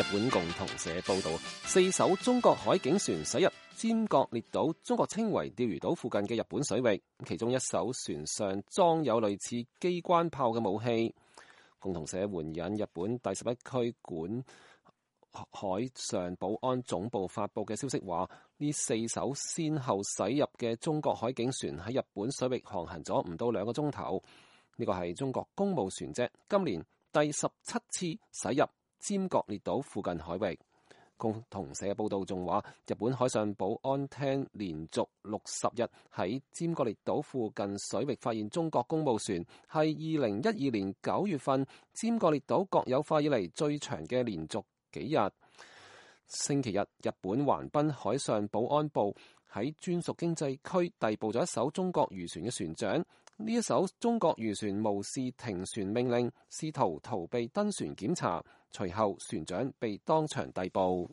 日本共同社報道，4艘中國海警船駛入尖閣列島，中國稱為釣魚島附近嘅日本水域，其中一艘船上裝有類似機關炮嘅武器。共同社援引日本第11區管海上保安總部發佈嘅消息話，呢4艘先後駛入嘅中國海警船喺日本水域航行咗唔到2個鐘頭。呢個係中國公務船隻今年第17次駛入尖閣列島附近海域。共同社報道仲話，日本海上保安廳連續60日喺尖閣列島附近水域發現中國公務船，係2012年9月份尖閣列島國有化以嚟最長嘅連續幾日。星期日，日本橫濱海上保安部喺專屬經濟區逮捕咗一艘中國漁船嘅船長。呢一艘中國漁船無視停船命令，試圖逃避登船檢查，隨後船長被當場逮捕。